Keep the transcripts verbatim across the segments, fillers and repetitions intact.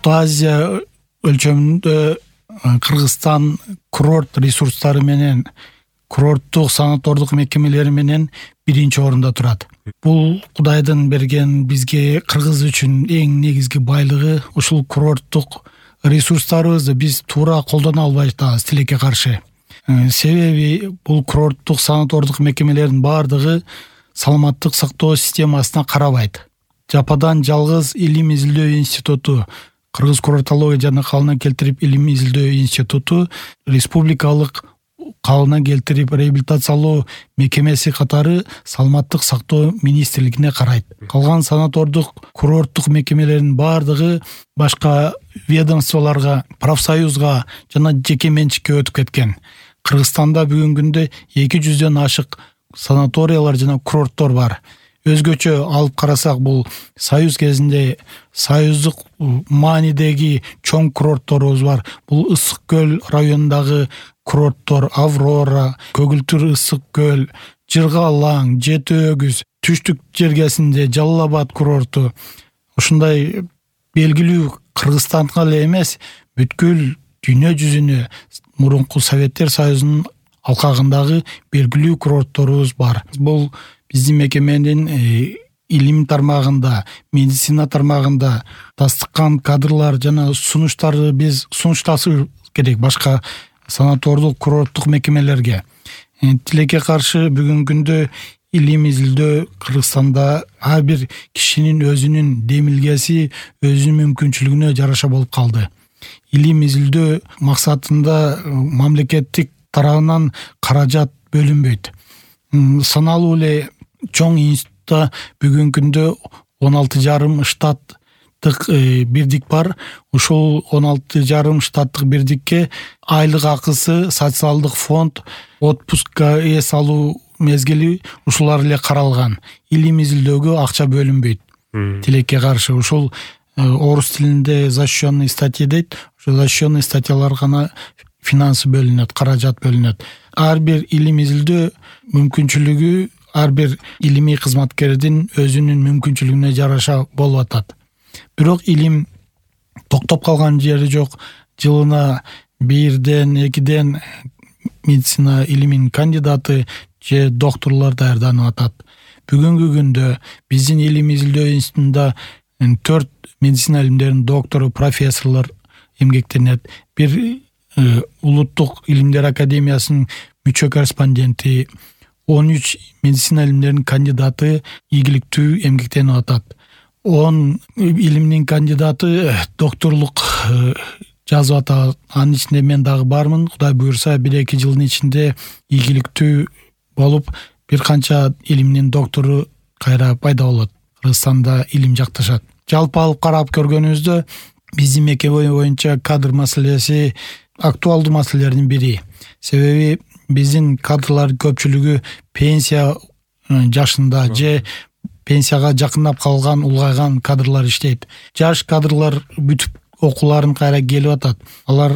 Орто Азия өлчөмүндө Кыргызстан курорт ресурстары менен курорттук санатордук мекемелери менен биринчи орунда турат. Бул Кудайдын берген бизге кыргыз үчүн эң негизги байлыгы. Ушул курорттук ресурстарыбызды биз туура колдоно албай атабыз тилекке каршы. Себеби бул курорттук санатордук мекемелердин баардыгы саламаттык сактоо системасына карабайт. Жападан жалгыз илим изилдөө институту, Кыргыз курортология жана калыбына келтирип илим изилдөө институту республикалык калыбына келтирип реабилитациялоо мекемеси катары саламаттык сактоо министрлигине карайт. Калган санатордук курорттук мекемелердин баардыгы башка ведомстволорго, профсоюзга жана жеке менчикке өтүп кеткен. Кыргызстанда бүгүнкү күндө эки жүздөн ашык санаториялар жана курорттор бар. Өзгөчө алып карасак, бул союз кезинде союздук маанидеги чоң курортторубуз бар. Бул Ысык көл районундагы курорттор: Аврора, Көгүлтүр ысык көл, Жырга алаң, Жети өгүз, Түштүк жергесинде Жалал Абад курорту. Ушундай белгилүү Кыргызстанга эле эмес, бүткүл дүйнө жүзүнө мурунку Советтер Союзунун алкагындагы белгилүү курортторубуз бар. Бул биздин мекеменин илим тармагында, медицина тармагында тастыккан кадрлар жана сунуштарды биз сунушташыбыз керек башка санатордук курорттук мекемелерге. Тилекке каршы бүгүнкү күндө илим изилдөө Кыргызстанда ар бир кишинин өзүнүн демилгеси, өзүнүн мүмкүнчүлүгүнө жараша болуп калды. Илим изилдөө максатында мамлекеттик тарабынан каражат бөлүнбөйт. Саналуу эле чоң институтта бүгүнкү күндө он алты жарым штаттык бирдик бар. Ушул он алты жарым штаттык бирдикке айлык акысы, социалдык фонд, отпускка эс алуу мезгили ушулар эле каралган. Илим изилдөөгө акча бөлүнбөйт. Тилекке каршы ушул орус тилинде защищенный статья дейт. Ошол защищенный статьялар гана финансы бөлүнөт, каражат бөлүнөт. Ар бир илим изилдөө мүмкүнчүлүгү ар бир илимий кызматкердин өзүнүн мүмкүнчүлүгүнө жараша болуп атат. Бирок илим токтоп калган жери жок. Жылына бирден, экиден медицина илиминин кандидаты же докторлор даярданып атат. Бүгүнкү күндө биздин илим изилдөө институтунда төрт медицина илимдеринин доктору, профессорлор эмгектенет. Бир улуттук илимдер академиясынын мүчө корреспонденти, он үч медицина илимдеринин кандидаты ийгиликтүү эмгектенип атат. он илимдин кандидаты докторлук жазып атат. Анын ичинде мен дагы бармын. Кудай буюрса бир эки жылдын ичинде ийгиликтүү болуп бир канча илимдин доктору кайра пайда болот. Кыргызстанда илим жакташат. Жалпы алып карап көргөнүбүздө биздин мекеме боюнча кадр маселеси актуалдуу маселелердин бири. Себеби биздин кадрлар көпчүлүгү пенсия жашында же пенсияга жакындап калган, улгайган кадрлар иштейт. Жаш кадрлар бүтүп окууларын кайра келип атат. Алар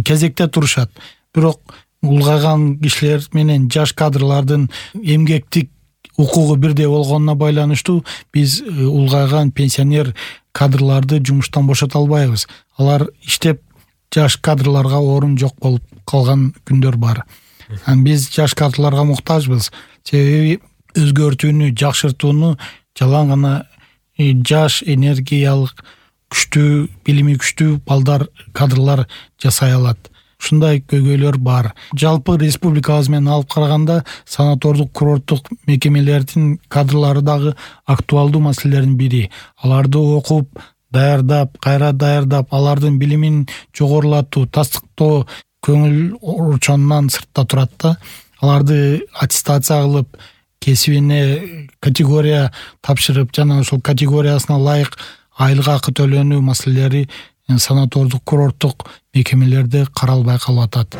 кезекте турушат. Бирок улгайган кишилер менен жаш кадрлардын эмгектик укугу бирдей болгонуна байланыштуу биз улгайган пенсионер кадрларды жумуштан бошото албайбыз. Алар иштеп жаш кадрларга орун жок болуп калган күндөр бар. Биз жаш кадрларга муктажбыз. Себеби өзгөртүүнү, жакшыртууну жалаң гана жаш, энергиялык, күчтүү, билими күчтүү балдар, кадрлар жасай алат. Ушундай көйгөйлөр бар. Жалпы республикабыз менен алып караганда санатордук курорттук мекемелердин кадрлары дагы актуалдуу маселелердин бири. Аларды окуп, даярдап, кайра даярдап, алардын билимин жогорулатуу, тастыктоо көңүл орчонунан сыртта турат да. Аларды аттестация кылып, кесибине категория тапшырып, жана ошол категориясына ылайык айлык акы төлөнүү маселелери санатордук курорттук мекемелерде каралбай калып атат.